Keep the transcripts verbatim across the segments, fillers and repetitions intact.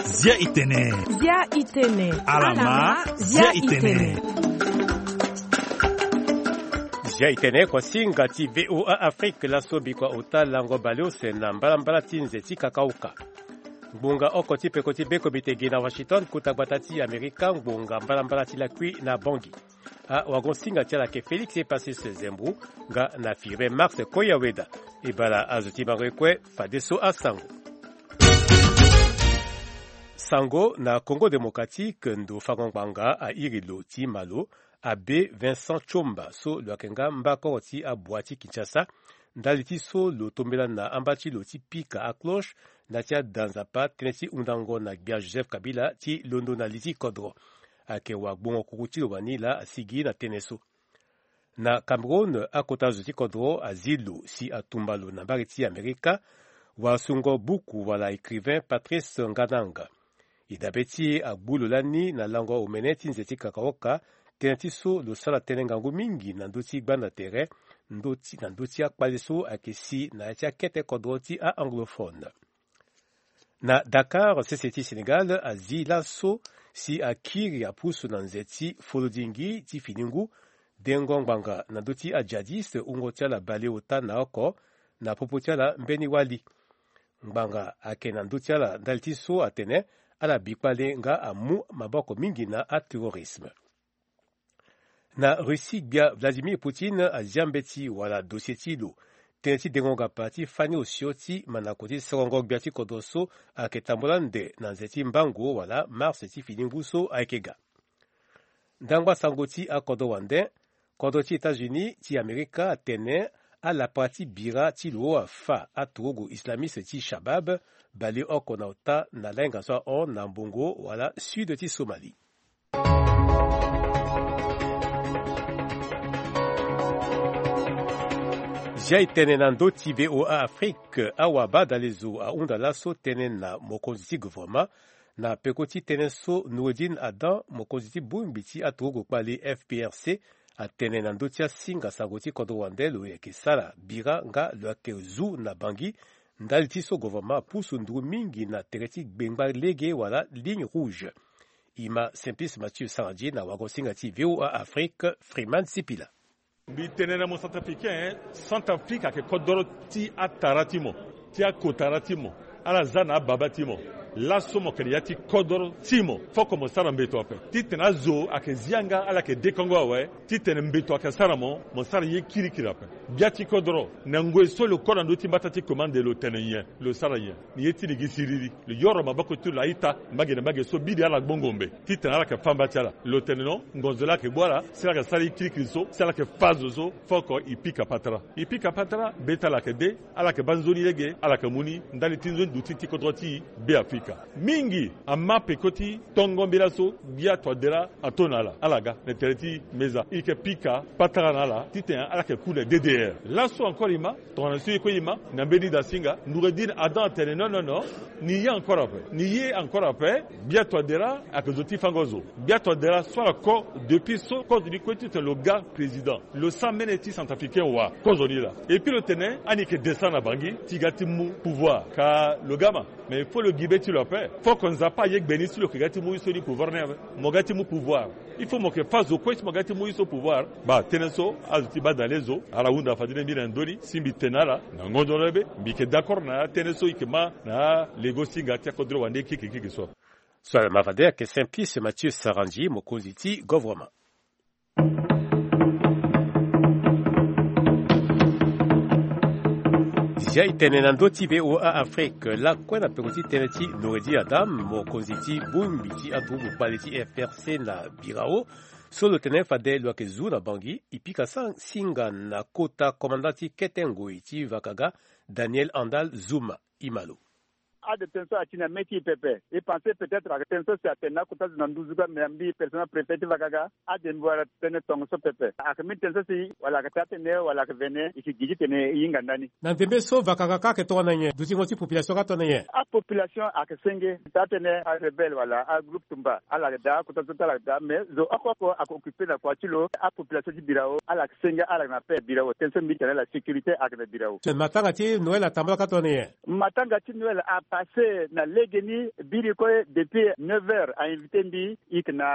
Zia itene. Zia itene. Alama, zia itene. Zia itene, kosinga ti V O A Afrique, laso bikua ota lango baleuse na mbalambala ti nze ti kakaoka. Ngbonga oko ti peko ti bekomite gi na Washington, kota gbata ti Amerika, ngbonga mbalambala ti lakui na Bangui. Awagosinga ti ala ayeke Félix Epasis Zembu, nga na Firmin Marx Koyaweda. E bala azo ti bango ye kue, fadeso asango. Sango na Congo Démocratique, ndo fango ngbanga airi lo ti Malo, Abbé Vincent Tshomba, so lo yeke nga mbakoro ti abua ti Kinshasa, ndali ti so lo tombela na amba ti lo ti pika acloche na ti ada Nzapa tënë ti hundango na gbia Joseph Kabila ti londo na li ti kodro. Ayeke wagbongo kuku ti lo wani laa asigi na tënë so. Na Cameroun, akota zo ti kodro azi lo si atumba lo na mbage ti Amerika, wasungo buku wala écrivain Patrice Ngananga. E dabe ti e agbu lo lani na lango omene ti nze ti kakaoka, tënë ti so lo sara tënë ngangu mingi na ndö ti gbanda tere, ndö ti, na ndö ti akpale so ayeke si na ya ti akete kodro ti a-anglophone. Na Dakar, sese ti Sénégal azi laso si akiri apusu na nze ti folodingi ti fini ngu, dengo ngbanga na ndö ti ajihadiste, wungo ti ala baleota na oko, na popo ti ala mbeni wali. Ngbanga ayeke na ndö ti ala ndali ti so atene ala bi kpale nga amu maboko mingi na aterrorisme. Na Russie, gbia Vladimir Poutine azia mbeti wala dossier ti lo, tënë ti dengo ngapa ti fani osio ti mandako ti sorongo gbia ti kodro so ayeke tambula nde na nze ti mbango wala mars ti fini ngu so ayeke ga. Ndangba sango ti akodro wande, kodro ti États-Unis ti Amerika atene alapa ti bira ti lo afa aturugu islamiste ti Shabab, baleoko na ota na lainga so ahon na mbongo wala sud ti Somalie. Zia e tene na ndö ti V O A Afrique, awabadalezo ahunda laso tënë na mokonzi ti gouvernement, na peko ti tënë so Noureddine Adam, mokonzi ti bongbi ti aturugu kpali F P R C, atene na ndö ti asinga sango ti kodro wande lo yeke sara bira nga lo yeke zu na Bangui, ndali ti so gouvernement apusu nduru mingi na tere ti gbengba lege wala ligne rouge. E ma Simplice Mathieu Sarandji na wagosinga ti V O A Afrique, Freeman Sipila. Mbi tene na mo Centrafricain, Centrafrique ayeke kodoro ti atara ti mo, ti akotara ti mo, ala za na ababa ti mo. Laso mo yeke na ya ti kodoro ti mo, foko mo sara mbeto ape. Titene azo ayeke zia nga ala yeke dekongo awe, titene mbeto ayeke sara mo, mo sara ye kirikiri ape. Gbia ti kodoro, na ngoi so lo ko na ndö ti mbata ti commande lo tene nyen, lo sara nyen? Ni ye ti ni gi siriri. Lo yoro maboko ti lo a-ita, mbage na mbage so biri ala gbongo mbe. Titene ala yeke fâ mba ti ala. Lo tene non, ngonzo laa ayeke gbu ala, si ala yeke sara ye kirikiri so, si ala yeke fâ zo so, foko e pika patara. E pika patara, be ti ala yeke de, ala yeke baa nzoni lege, ala yeke mu ni, ndali ti nzoni duti ti kodro ti Beafrika. Mingi ama peko ti tongo mbela so, gbia Touadéra ato na ala, ala ga na tere ti meza. E yeke pika patara na ala, titene ala yeke ku na D D R. Laso encore e ma, tongana so e kue e ma, na mbeni dasinga, Noureddine Adam atene non, non, non, ni ye encore ape. Ni ye encore ape, gbia Touadéra ayeke zo ti fango zo. Gbia Touadéra so ala ko, depuis so kozo ni kue titene lo ga président. Lo sara mene ti Centrafricain wa, kozo ni laa. Et puis lo tene, ani yeke descendre na Bangui, ti ga ti mu pouvoir. Ka lo ga ma. Mais il faut lo gi be ti lo ape. Foko Nzapa aye gbe ni si lo yeke ga ti mu ye so ni pouvoir ni ape. Mo ga ti mu pouvoir. Il faut mo yeke fâ zo kue si mo ga ti mu ye so pouvoir. Baa, tënë so, azo ti badale zo, ala hunda fade ni mbi na ndö ni, si mbi tene na ala, na ngonzo ni be, mbi yeke d'accord na atënë so e yeke ma na alego singa ti akodro wande keke keke so. So ala ma fade ayeke Simplice Mathieu Sarandji, mokonzi ti gouvernement. Zia e tene na ndö ti V O A Afrique, lakue na peko ti tënë ti Noureddine Adam, mokonzi ti bongbi ti aturugu kpale ti F R C na Birao, so lo tene fade lo yeke zu na Bangui, e pika sa-, singa na kota komanda ti kete ngoi ti vakaga, Daniel Andal Zuma. E ma lo. Ade tënë so ati na mê ti e pepe. E pense peut-être ayeke tënë so si atene na akota zo na nduzu kue, me mbi personnel préfet ti vakaga, ade mbi wara tënë tongaso pepe. Ayeke mbeni tënë so si wala ayeke taa tënë wala ayeke vene, e yeke gi titene e hinga ndani. Na ndembe so vakaga kâ ayeke tongana nyen? Dutingo ti population kâ tongana nyen? Apopulation ayeke senge. Taa tënë arebelle wala agroupe tumba ala yeke daa, akota zo ti ala yeke daa, mais zo oko oko ayeke occupe na kua ti lo. Apopulation ti birao ala yeke senge, ala yeke na paix birao. Tënë so mbi tene la sécurité ayeke na birao. Matanga ti Noël atambula kâ tongana nyen? Matanga ti Noël apasse na legeni. Biri kue depuis neuf heures a invité mbi, e yeke na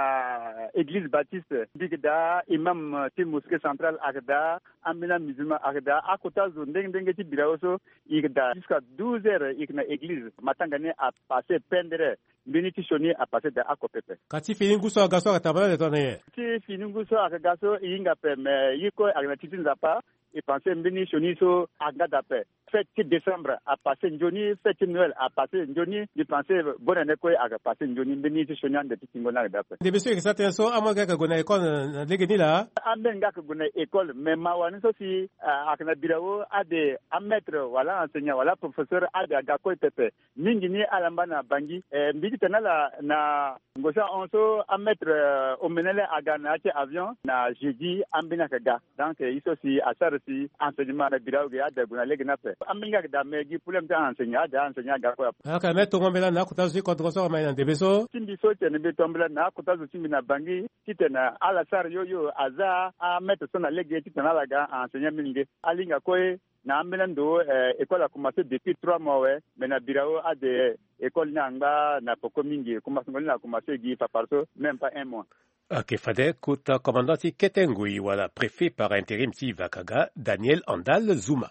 église baptiste. Mbi yeke daa, imam ti mosquée centrale ayeke daa, ambeni amusulman ayeke daa, akota zo ndenge ndenge ti birao so e yeke daa. Jusqu'à douze heures e yeke na église. Matanga ni apasse pendere. Mbeni ti sioni apasse daa oko pepe. Ka ti fini ngu so aga so ayeke tambula ande tongana nyen? Ti fini ngu so ayeke ga so e hinga ape, me ye kue ayeke na ti ti Nzapa. E pense mbeni sioni so aga daa ape. Fête ti décembre apasse nzoni, fête ti Noël apasse nzoni. Mbi pense bonne année kue ayeke passe nzoni. Mbeni ti sioni ande ti tingo ni ayeke daa ape. Ndembe so e yeke sara tënë so amolenge ayeke gue na école na, na legeni laa? Ambeni nga ayeke gue na école, me mawa ni so si, ah, ayeke na birao, ade amaître wala aenseignant wala aprofesseur ade aga kue pepe. Mingi ni ala mba na Bangui. Eh, mbi titene ala na ngosi ahon so amaître, eh, omene lê aga na ya ti avion na jeudi ambeni ayeke ga. Donc, eh, ye so si asara si enseignement na birao ge ade ague na lege ni ape. Ambeni nga ayeke daa, me gi problème ti aenseignant ade aenseignant aga kue ape. Ayeke me tongo mbela na akota zo ti kodro so ayeke ma e na ndembe so. Ti mbi so titene mbi to mbela na akota zo ti mbi na Bangui titene ala sara yo yo aza amaître so na lege titene ala ga aenseignant mingi ge. Ala hinga kue. Na ambeni ando, eh, école a commencé depuis trois mois awe, mais na birao ade école ni angba na poko mingi, commencement ni a commencé gi papara so même pas un mois. Ayeke fade kota commandant ti kete ngoi wala préfet par intérim ti Vakaga, Daniel Andal Zuma.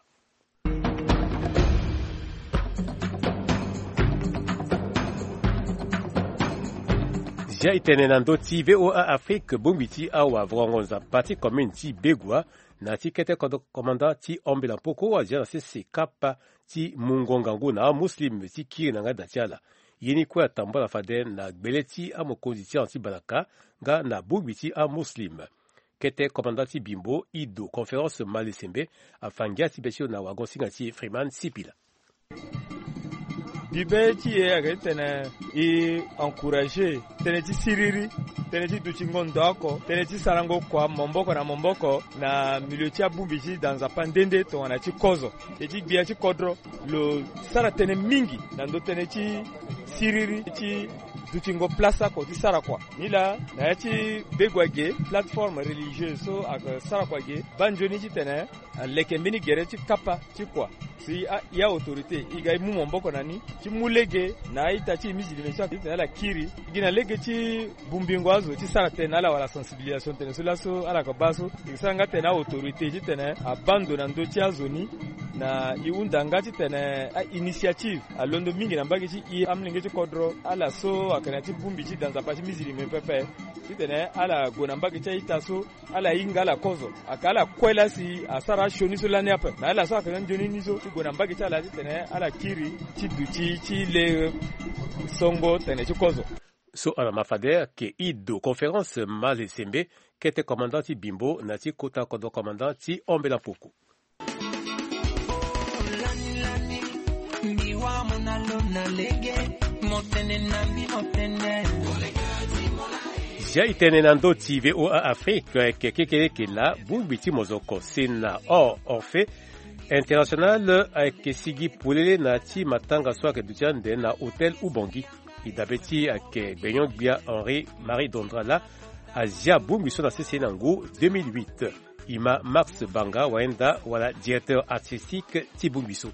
Zia e tene na ndö ti V O A Afrique, bongbi ti awavrongo nzapa ti commune ti Begua na ti kete kodro commandant ti Ambela Mpoko azia na sese kapa ti mungo ngangu na amuslim ti kiri na ngai da ti ala. Ye ni kue atambula fade na gbele ti amokonzi ti ahon ti Balaka nga na bongbi ti amuslim. Kete commandant ti Bimbo, Ido Conférence Malesembe, afa ngia ti be ti lo na wagon-singa ti Freeman Sipila. Bibe ti e ayeke titene e encourager tënë ti siriri, tënë ti dutingo ndo oko, tënë ti sarango kua maboko na maboko na milieu ti abongbi ti da nzapa nde nde tongana ti kozo. E ti gbia ti kodro lo sara tënë mingi na ndö tënë ti siriri ti dutingo place oko ti sara kua. Nilaa na ya ti Begua ge, plateforme religieuse so ayeke sara kua ge baa nzoni titene aleke mbeni gere ti kapa ti kua. Si a, e autorité e ga e mu maboko na ni ti mu lege na a-ita ti e musulman so ayeke titene ala kiri gi na lege ti bongbingo azo ti sara tënë na ala wala sensibilisation tënë so laso ala yeke baa so. E sara nga tënë autorité titene abaa ndo na ndö ti azo ni na e hunda nga titene a-initiative alondo mingi na mbage ti e amolenge ti kodro ala so ayeke na ya ti bongbi ti da nzapa ti musulman pepe titene ala gue na mbage ti a-ita so ala hinga ala kozo. Ayeke ala kue laa si asara asioni so lani ape. Me ala so ayeke na nzoni ni so ti gue na mbage ti ala titene ala kiri ti duti ti le songo tene ti kozo. So ala ma fade ayeke Ido Conférence Malesembe, kete commandant ti Bimbo na ti kota kodro commandant ti Ambela Mpoko. Zia e tene na ndö ti V O A Afrique, ayeke kekereke laa bongbi ti mozoko Sena Hors Orphée International ayeke sigi polele na ya ti matanga so ayeke duti ande na hôtel Oubangui. E dabe ti ayeke gbenyo-gbia Henri Marie Dondra laa azia bongbi so na sese na ngu deux mille huit. E ma Max Banga Wayenda wala directeur artistique ti bongbi so.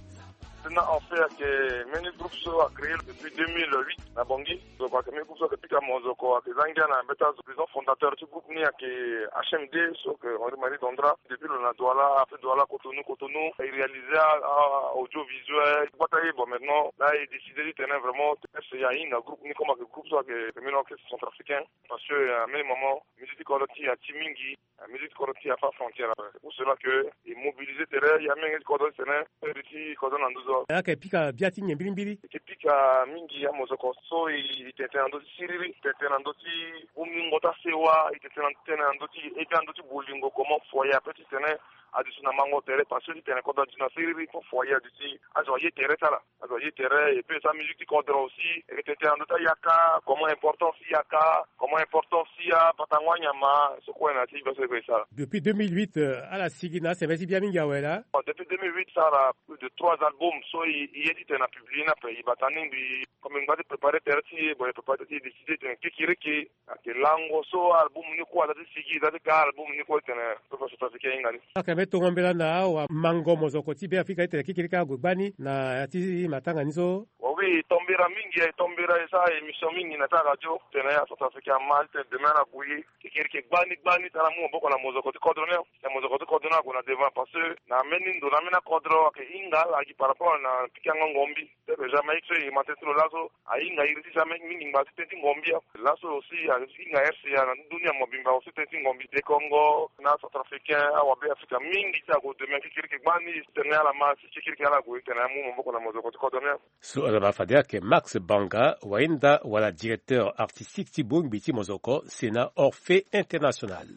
Sena Orphée ayeke mbeni groupe so a créé depuis deux mille huit na Bangui. Donc ayeke mbeni groupe so ayeke pika mozoko, ayeke za ngia na mbeta zo. Président fondateur ti groupe ni ayeke H M D so ayeke Henri Marie Dondra. Depuis lo na Douala, après Douala Cotonou, Cotonou e réalisé a, a audiovisuel. Gbata ye, bon, maintenant laa e décidé ti tene vraiment e hinga groupe ni comme ayeke groupe so ayeke mbeni orchestre centrafricain. Parce que, euh, à un moment, musique ti kodro ti e ati mingi. Musique ti kodro ti e afa frontière ape. C'est pour cela que e mobilisé tere e amolenge ti kodro ti tene e iri ti kodro na nduzu. Ayeke pika bia ti nyen mbirimbiri? E yeke pika mingi amozoko so e tene tënë na ndö ti siriri, tene tënë na ndö ti bongbingo ti asewa, e tene tënë na ndö ti e bia na ndö ti bolingo, comment foyer ape ti tene aduti na mango tere, parce que ti tene kodro aduti na siriri, fo foyer aduti, azo aye tere ti ala. Azo aye tere, et puis sa musique ti kodro aussi, e tene tene na ndö ti ayaka, comment importance ti yaka, comment importance ti apatango anyama, so kue na ti biaso e sara. Depuis deux mille huit, euh, ala sigi na asembele ti bia mingi awe laa. Bon, depuis deux mille huit, sara plus de trois albums so e, e ye ti tene na publier ni ape, e bata ni mbi, comme e ngba ti préparer tere ti e, bon, e préparer tere ti e, décider tene kekireke ayeke lango so album ni kue aza ti sigi, aza ti ga album ni kue ti tene peuple centrafricain ahinga ni. Ayeke mbeni tongo mbela na awamango mozoko ti Beafrika ti tene kekireke ague gbani na ya ti matanga ni so. Bon, oui, e tombera mingi, e tombera, e sara émission mingi na ti aradio, tene acentrafricain ama ti tene demain ala gue ye kekireke gbani gbani ti ala mu maboko na mozoko ti kodro ni. Na mozoko ti kodro ni ague na devant, parce que na mbeni ndo na mbeni akodro ayeke hinga ala gi par rapport na pikango ngombi. Pepe Jamaïque so e ma tënë ti lo laso, ahinga iri ti Jamaïque mingi ngba ti tënë ti ngombi. Laso aussi ahinga R C A na dunia mobimba aussi tënë ti ngombi. Te Congo na Centrafricain, aWabeafrika mingi ti ague demain kekireke gbani, tene ala ma si kekireke ala gue tene amu maboko na mozoko ti kodro ni. So ala ma fade ayeke Max Banga, wahinda wala directeur artistique ti bongbi ti mozoko, Sena Orphée International.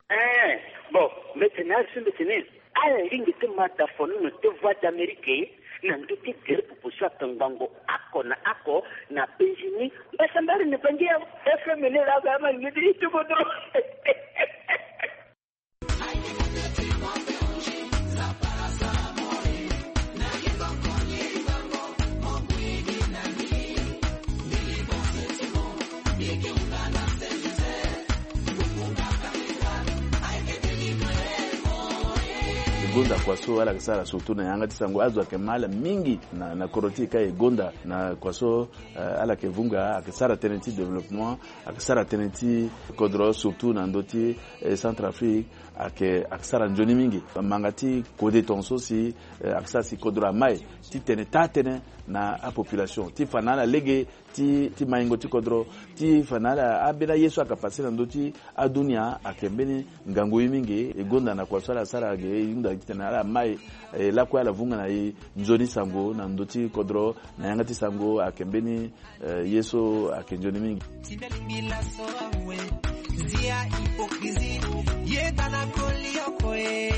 Eh, bon, mbi tene azo mbi tene ala lingbi ti ma da fonono ti Voix d'Amérique na ndö ti gere popo so atongbango oko na oko na penzi ni. Mbasambala ni bangi ya F M ni laa, ba ma lingbi ti ti kodro. E gonda kua so ala yeke sara surtout na yanga ti sango, azo ayeke ma ala mingi na, na kodro ti e ka e gonda na kua so, eh, ala yeke vunga, ayeke sara tënë ti développement, ayeke sara tënë ti kodro, surtout na ndö ti, eh, Centrafrique, ayeke, ayeke sara nzoni mingi. Manga ti kode tongaso si, eh, ayeke sara si kodro amai ti tene taa tënë na apopulation ti fa na ala lege ti, ti maingo ti kodro, ti fa na ala ambeni aye so ayeke passe na ndö ti adunia, ayeke mbeni ngangu ye mingi. E gonda na kua so ala sara ge, e hunda titene ala mai, e lakue ala vunga na e nzoni sango na ndö ti kodro, na yanga ti sango ayeke mbeni, eh, ye so ayeke nzoni mingi. Ti mbi alingbi laso awe, zia hypocrisie, yeda na koli oko e.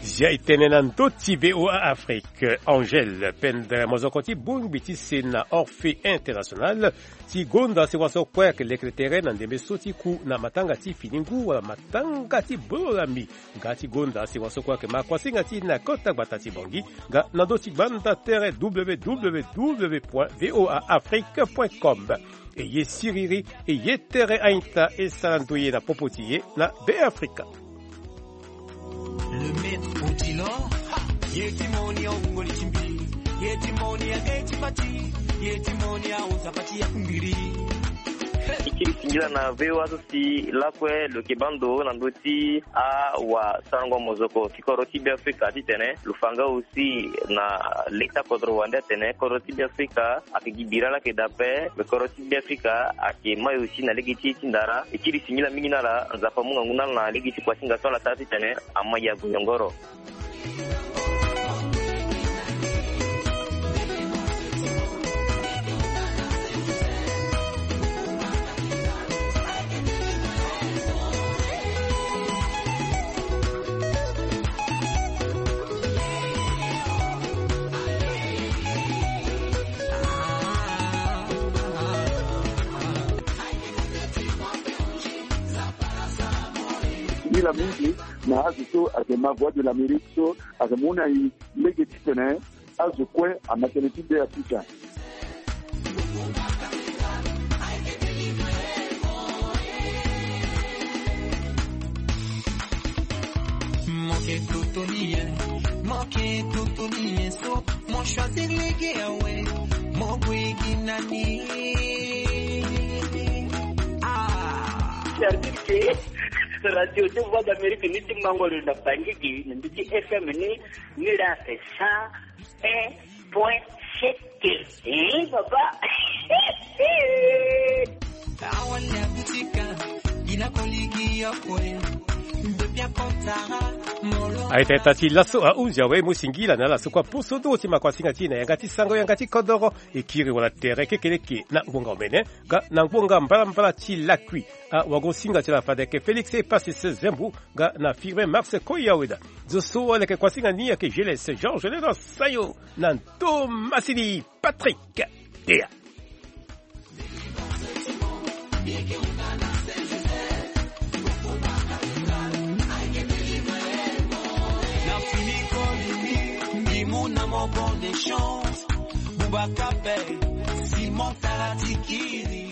Zia e tene na ndö ti V O A Afrique, Angèle Pendre, mozoko ti bongbi ti Sena Orphée International, ti gonda sewa so kue ayeke lekere tere na ndembe so ti ku na matanga ti fini ngu wala matanga ti bolo lami. Nga ti gonda sewa so kue ayeke ma kuasinga ti e na kota gbata ti Bangui, nga na ndö ti gbanda tere W W W point V O A Afrique point com. E ye siriri, e ye tere a-ita, e sara ndoye na popo ti e na Beafrika. Le maître Odilon, ha! Ye ti moni awungoli ti mbi, ye ti moni age ti mbati, ye ti moni aoza pati ya kumbiri. Ti kiri singila na V O A so si lakue lo yeke baa ndo na ndö ti awasarango mozoko ti kodro ti Beafrika titene lo fa nga aussi na leta kodro wande atene kodro ti Beafrika ayeke gi bira laa ayeke daa ape, me kodro ti Beafrika ayeke mai aussi na lege ti e ti ndara. E kiri singila mingi na ala, Nzapa amu ngangu na ala na lege ti kuasinga so ala sara titene amai ague nyongoro. Singila mingi na azo so ayeke ma Voix de l'Amérique so ayeke mu na e lege titene azo kue ama tënë ti Beafrika. Moke totoni ye, moke totoni ye so, mo choisir lege awe, mo gue gi nani? Ah. C'est-à-dire que radio ti Voix d'Amérique ni ti mango lo na Bangui gi, na ndö ti F M ni, ni laa c'est cent un point sept. Eh, papa. Awali abutika, Aye tata ti laso ahunzi awe mo singila na ala so kua poso do ti makuasinga ti e na yanga ti sango yanga ti kodoro. E kiri wala tere kekeleke na ngbonga omene ga na ngbonga mbalambala ti lakui. Awagosinga ti ala fade ayeke Félix Epasis Zembu ga na Firmin Mars Koyaweda. Zo so aleke kuasinga ni ayeke Geles Georges Leno Sayo na ndo masini Patrick Tea. Na fini kolimi, Mimuna mo bonne chance. Boubacar Bey, Simon Taratikiri.